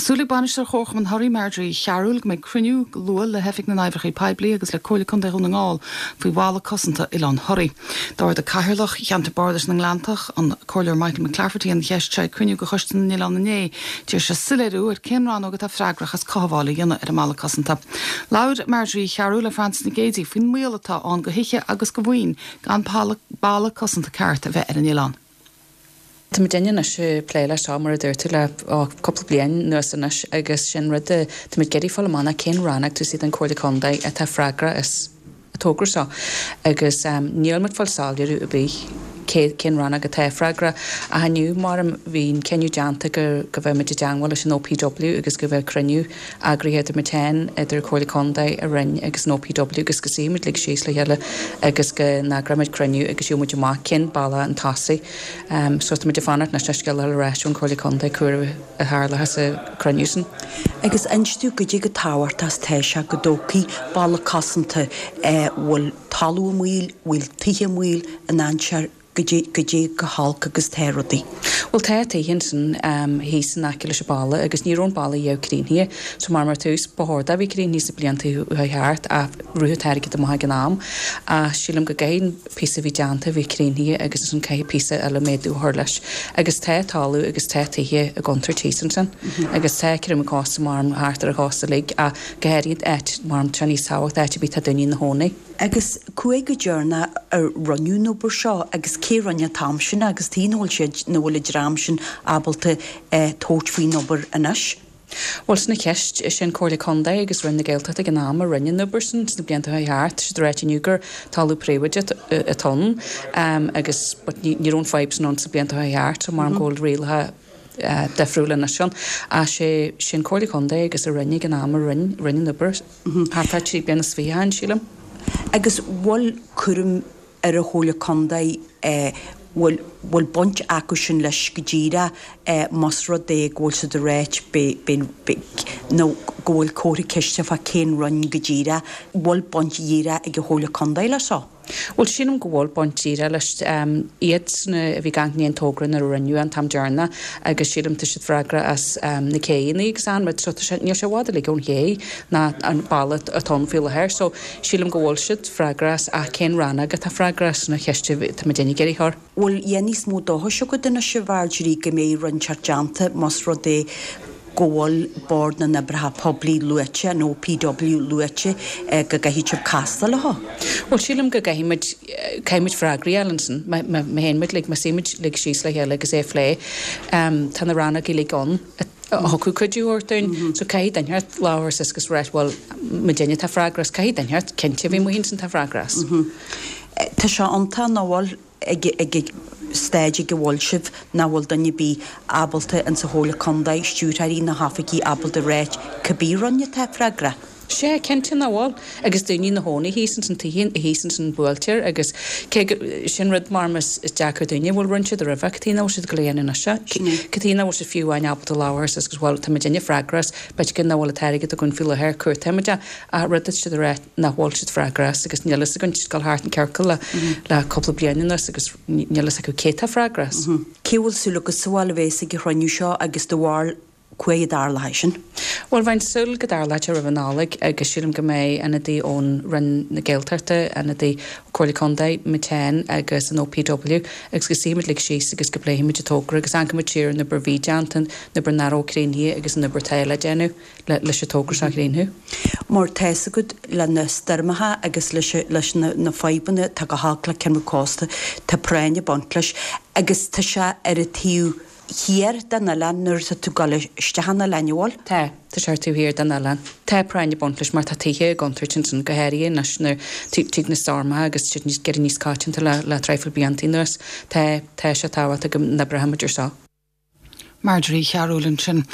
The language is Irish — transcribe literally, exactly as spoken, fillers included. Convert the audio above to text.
Tá súil ag bainisteoir Chomharchumann Thoraí Marjorie Chearúil go mbeidh cruinniú go luath le hOifig na nOibreacha Poiblí agus le Comhairle Contae Dhún na nGall faoi bhalla cosanta Oileán Thoraí. D'ardaigh Cathaoirleach Cheantar Bardais na nGleanntach an Comhairleoir Michael McClafferty an cheist seo ag cruinniú de Choiste na nOileán inné, d'iarr sé soiléiriú ar cén rannóg atá freagrach as cothabháil a dhéanamh ar an mballa cosanta. Labhair Marjorie Chearúil le Francis Nic Géadaigh faoin mbaol atá ann do thithe agus do mhaoin gan balla cosanta ceart a bheith ar an oileán. Tá muid anois plé leis seo mar a dúirt tú le cúpla bliain anuas anois agus sin rud tá muid ag iarraidh fáil amach cén rannóg tú siad an Comhairle Contae atá freagrach as an togra seo agus um, níl muid fáil soiléiriú ar bith cén rannóg atá freagrach a inniu mar bhí cinneadh déanta go go bheith muid i dteagmháil leis an OPW agus go bheith cruinniú eagraithe idir muid féin idir Comhairle Contae an Roinn agus an OPW agus go suífimid uilig síos le chéile agus go n-eagróimid cruinniú agus gheobhaimid amach cén bealach chun tosaigh. Um, so muid ag fanacht na scéal ar ais ón Comhairle Contae céard a tharla sa chruinniú sin. Agus inis dúinn goidé chomh tábhachtach is atá sé go dtógfaí balla cosanta bhfuil talamh i mbaol, bhfuil tithe i mbaol in aimsir goidé chomh holc agus atá rudaí. Well tá tithe san um, thíos in aice leis an balla agus ní raibh an balla riamh críochnaithe, so mar mar tús b'chóir a bhí críochnaithe sna blianta thart a ruú airgead amach ag an am a sílim go gcaithfidh píosa bhí déanta bhí críochnaithe agus an caithfidh píosa eile méadú a chur leis. Agus tá talamh agus tá tithe i gcontúirt thíos ansin. agus tá crim cos mar thart ar a chos lig a go háirithe áit mar tá níos tábhacht áit a bhí tá daoine ina gcónaí. Agus cua go deireanach ar rinneadh an obair seo agus cé rinne an t-am sin agus tí bhfuil siad nó bhfuil an dream sin ábalta eh, tabhairt faoin obair anois. Well sin an cheist sin Comhairle Contae agus Roinn na Gaeltachta ag an am a rinne an obair sin sna blianta thart siad ag ráit gur talamh príobháideach atá ann um, agus ní raibh an fhadhb sin ann sna blianta thart so mar an go bhfuil rialacha uh, difriúla na sin a sé sin Comhairle Contae agus a rinne ag an am a rinne rinne an obair thart trí bliana is fiche sílim. Agus bhfuil cúram ar an Chomhairle Contae eh, bhfuil bhfuil baint acu sin leis go díreach eh, más rud é go bhfuil siad ag ráit nó go bhfuil comhartha ceiste fá cén roinn go díreach bhfuil baint dhíreach ag an Chomhairle Contae le seo. Well sílim go bhfuil baint díreach leis um, iad na bhí gan an togra na rinneadh an t-am deireanach agus sílim tá siad freagrach as um, na céanna agus an so níl sé i bhfad le ón ché ná an balla atá faoi láthair, so sílim go bhfuil siad freagrach as ach cén rannóg atá freagrach as na ceiste tá muid ag iarraidh a chur. Bhfuil dhé níos mó dóchais agat anois a Mharjorie go mbeidh rud inteacht déanta más rud é go bhfuil Bord na nOibreacha Poiblí luaite nó OPW luaite eh, go gcaithfidh sibh castáil leo. Well sílim go gcaithfimid caithfimid freagraí a fháil ansin má théimid le má shuímid uilig síos le chéile agus é a phlé um, tá na ranna uilig ann a thiocfadh cuidiú dúinn so caithfidh duine labhairt agus rá well muidinne tá freagrach as caithfidh duine cinnte bhí muid sin tá freagrach as. Tá sé iontach nach bhfuil ag ag staid go bhfuil sibh nach bhfuil duine ar bith ábalta an sa Chomhairle Contae stiúrthóirí na hoifigí ábalta rá cibé roinn atá freagrach. Sé cinnte nach bhfuil agus daoine ina gcónaí thíos san tithe thíos san buailtear agus cé sin rud mar is deacair daoine bhfuil rinne siad roimhe cad chuige nach bhfuil siad go léana se cad chuige nach bhfuil siad fiú amháin ábalta labhairt agus bhfuil tá muidinne freagrach as b'fhéidir nach bhfuil an t-airgead againn faoi láthair cuairtaimid a rud siad rá nach bhfuil siad freagrach as agus níl a fhios againn thart an ciorcal le le cúpla bliain anuas agus níl a fhios acu cé tá freagrach as. Cé bhfuil súil agat sa bhfuil a bheas ag an chruinniú seo agus de bharr chuaigh dar sin? Well bheinn súil go dtarlóidh roimh an Nollaig agus sílim go mbeidh ionadaí ón Roinn na Gaeltachta, ionadaí Comhairle Contae, Miten agus an OPW agus go suífimid uilig síos agus go bpléifimid an togra agus amharcfaimid siar an obair a bhí déanta an obair nach raibh críochnaithe agus an obair atá le déanamh le leis an togra seo a chríochnú. Mar tá a fhios agat le na stoirmeacha agus leis leis na, na fadhbanna tá go holc le ceann cósta tá práinn ag baint leis agus tá sé ar an taobh thiar den oileán nuair atá tú ag dul isteach an oileán bhfuil? Tá tá sé taobh thiar den oileán. Tá práinn ag baint leis mar tá tithe i gcontúirt ansin go háirithe anois nuair tig na stoirmeacha agus siad níos géire níos coitianta le le traidhfil blianta anuas. Tá tá sé tábhachtach go n-oibreoimid ar seo. Marjorie Chearúil ansin.